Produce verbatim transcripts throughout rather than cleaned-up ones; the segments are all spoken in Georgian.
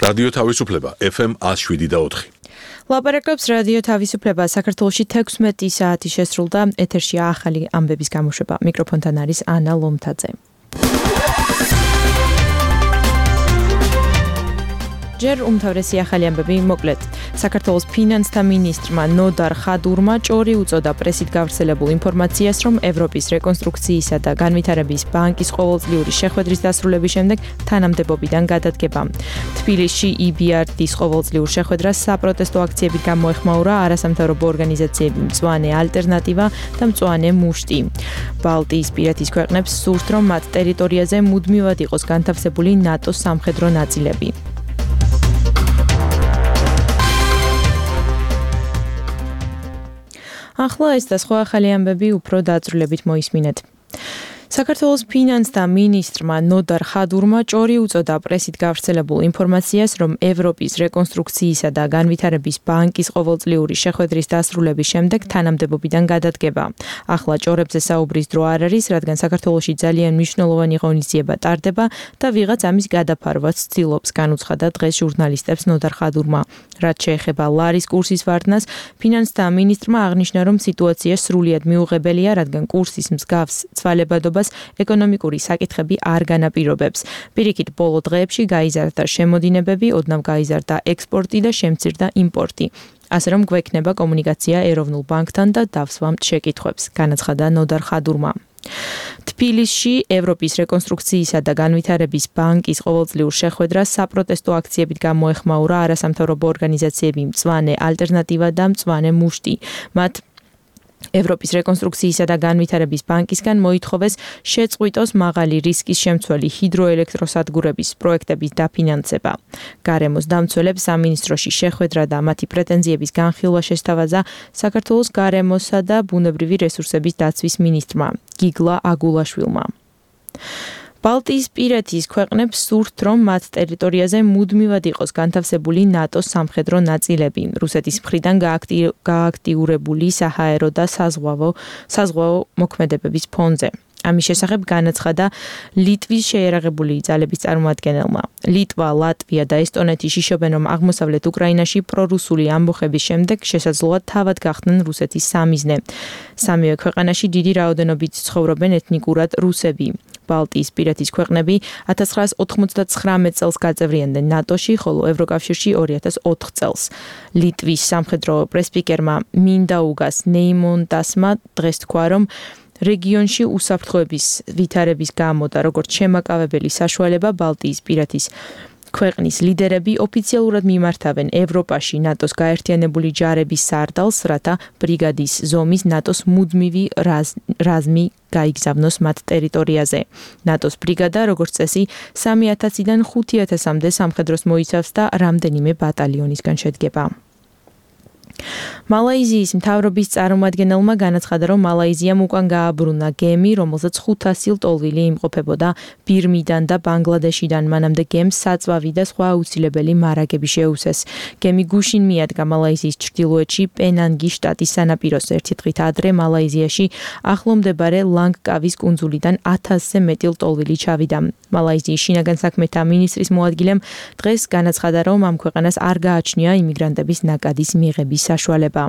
რადიო თავისუფლება ეფ ემ one oh seven და four. ლაპარაკობს რადიო თავისუფლება საქართველოში თექვსმეტი საათი შესრულდა ეთერშია ახალი ამბების გამოშვება. მიკროფონთან არის ანა ლომთაძე. ჯერ უმთავრესი ახალი ამბები მოკლედ. საქართველოს ფინანსთა მინისტრმა ნოდარ ხადურმა ჭორი უწოდა პრესით გავრცელებულ ინფორმაციას, რომ ევროპის რეკონსტრუქციისა და განვითარების ბანკის ყოველწლიური შეხვედრის დასრულების შემდეგ თანამდებობიდან გადადგება. თბილისში ი ბი არ დის ყოველწლიურ შეხვედრას საპროტესტო აქციებით გამოეხმაურა არასამთავრობო ორგანიზაციები მწვანე ალტერნატივა და მწვანე მუშტი. ბალტიისპირეთის ქვეყნებს სურთ, რომ მათ ტერიტორიაზე მუდმივად იყოს განთავსებული ნატოს სამხედრო ნაწილები. ახლა ეს და სხვა ახალი ამბები უფრო დაწვრილებით მოისმინეთ. საქართველოს ფინანსთა მინისტრმა ნოდარ ხადურმა ჭორი უწოდა პრესით გავრცელებულ ინფორმაციას, რომ ევროპის რეკონსტრუქციისა და განვითარების ბანკის ყოველწლიური შეხვედრის დასრულების შემდეგ თანამდებობიდან გადადგება. ახლა ჭორებზე საუბრის დრო არ არის, რადგან საქართველოში ძალიან მნიშვნელოვანი ღონისძიება ტარდება და ვიღაც ამის გადაფარვაც ცდილობს, განუცხადა დღეს ჟურნალისტებს ნოდარ ხადურმა. რაც შეეხება ლარის კურსის ვარდნას, ფინანსთა მინისტრმა აღნიშნა, რომ სიტუაცია სრულიად მიუღებელია, რადგან კურსის მსგავს ცვალებადობა ეკონომიკური საკითხები არ განაპირობებს. პირიქით, ბოლო დღეებში გაიზარდა შემოდინებები, ოდნავ გაიზარდა ექსპორტი და შემცირდა იმპორტი. ასე რომ გვექნება კომუნიკაცია ეროვნულ ბანკთან და დავსვამთ შეკითხვებს, განაცხადა ნოდარ ხადურმა. თბილისში ევროპის რეკონსტრუქციისა და განვითარების ბანკის ყოველწლიურ შეხვედრას საპროტესტო აქციებით გამოეხმაურა არასამთავრობო ორგანიზაციები მწვანე ალტერნატივა და მწვანე მუშტი. მათ ევროპის რეკონსტრუქციისა და განვითარების ბანკისგან მოითხოვეს შეწყვიტოს მაღალი რისკის შემცველი ჰიდროელექტროსადგურების პროექტების დაფინანსება. გარემოს დამცველებს სამინისტროში შეხვედრა და მათი პრეტენზიების განხილვა შესთავაზა საქართველოს გარემოსა და ბუნებრივი რესურსების დაცვის მინისტრმა გიგლა აგულაშვილმა. ბალტიისპირეთის ქვეყნებს სურთ, რომ მათ ტერიტორიაზე მუდმივად იყოს განთავსებული ნატოს სამხედრო ნაწილები. რუსეთის მხრიდან გააქტიურებული საჰაერო და საზღვაო საზღვაო მოქმედებების ფონზე. ამის შესახებ განაცხადა ლიტვის შეიარაღებული ძალების წარმომადგენელმა. ლიტვა, ლატვია და ესტონეთი შიშობენ, რომ აღმოსავლეთ უკრაინაში პრორუსული ამბოხების შემდეგ შესაძლოა თავად გახდნენ რუსეთის სამიზნე. სამივე ქვეყანაში დიდი რაოდენობით ცხოვრობენ ეთნიკურად რუსები. ბალტიისპირეთის ქვეყნები ათას ცხრაას ოთხმოცდათხრამეტ წელს გაწევრიანდნენ ნატოში, ხოლო ევროკავშირში ორი ათას ოთხ წელს. ლიტვის სამხედრო პრესპიკერმა მინდაუგას ნეიმონტასმა დღეს თქვა, რომ რეგიონში უსაფრთხოების ვითარების გამო და როგორც შემაკავებელი საშუალება ბალტიისპირეთის ქვეყნის ლიდერები ოფიციალურად მიმართავენ ევროპაში ნატოს გაერთიანებული ჯარების სარდალს, რათა ბრიგადის ზომის ნატოს მუდმივი რაზმი გაიგზავნოს მათ ტერიტორიაზე. ნატოს ბრიგადა, როგორც წესი, სამი ათასიდან ხუთი ათასამდე სამხედროს მოიცავს და რამდენიმე ბატალიონისგან შედგება. მალაიზიის მთავრობის წარმომადგენელმა განაცხადა, რომ მალაიზიამ უკან გააბრუნა გემი, რომელზეც ხუთასი ლტოლვილი იმყოფებოდა ბირმიდან და ბანგლადეშიდან. მანამდე გემს საწვავი და სხვა აუცილებელი მარაგები შეუსეს. გემი გუშინ მიადგა მალაიზიის ჩრდილოეთში პენანგის შტატის სანაპიროს. ერთი დღით ადრე მალაიზიაში ახლო მდებარე ლანგკავის კუნძულიდან ათასზე მეტი ლტოლვილი ჩავიდა. მალაიზიის შინაგან საქმეთა მინისტრის მოადგილემ დღეს განაცხადა, რომ ამ ქვეყანას არ გააჩნია იმიგრანტების ნაკადის მიღების საშუალება.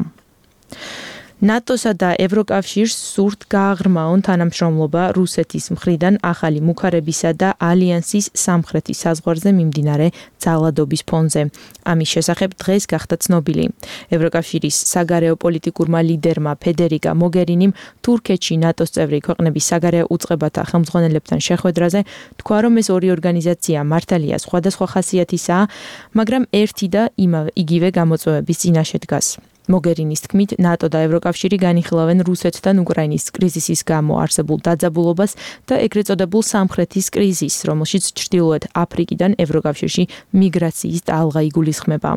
ნატოსა და ევროკავშირს სურთ გააღრმაონ თანამშრომლობა რუსეთის მხრიდან ახალი მუქარებისა და ალიანსის სამხრეთის საზღვარზე მიმდინარე ძალადობის ფონზე. ამის შესახებ დღეს გახდა ცნობილი. ევროკავშირის საგარეო პოლიტიკურმა ლიდერმა ფედერიკა მოგერინიმ თურქეთში ნატოს წევრი ქვეყნების საგარეო უწყებათა ხელმძღვანელებთან შეხვედრაზე თქვა, რომ ეს ორი ორგანიზაცია მართალია სხვადასხვა ხასიათისაა, მაგრამ ერთი და იმავე იგივე გამოწვევების წინაშე დგას. მოგერინის თქმით, ნატო და ევროკავშირი განიხილავენ რუსეთთან უკრაინის კრიზისის გამო არსებულ დაძაბულობას და ეგრეთ წოდებულ სამხრეთის კრიზისს, რომელშიც ჩრდილოეთ აფრიკიდან ევროკავშირში მიგრაციის ტალღა იგულისხმება.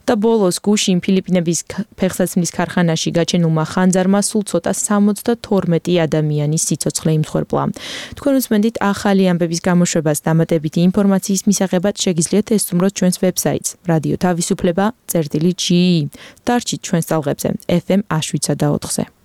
და ბოლოს გუშინ ფილიპინების ფეხსაცმლის ქარხანაში გაჩენილმა ხანძარმა სულ ცოტა სამოცდათორმეტი ადამიანის სიცოცხლე იმსხვერპლა. თქვენ უსმენთ ახალი ამბების გამოშვებას დამატებითი ინფორმაციის მისაღებად შეგიძლიათ ესწროთ ჩვენს ვებსაიტს რადიო თავისუფლება წერტილი ჯი. დარჩით ჩვენს ტალღებზე ეფ ემ one oh seven და four-ზე.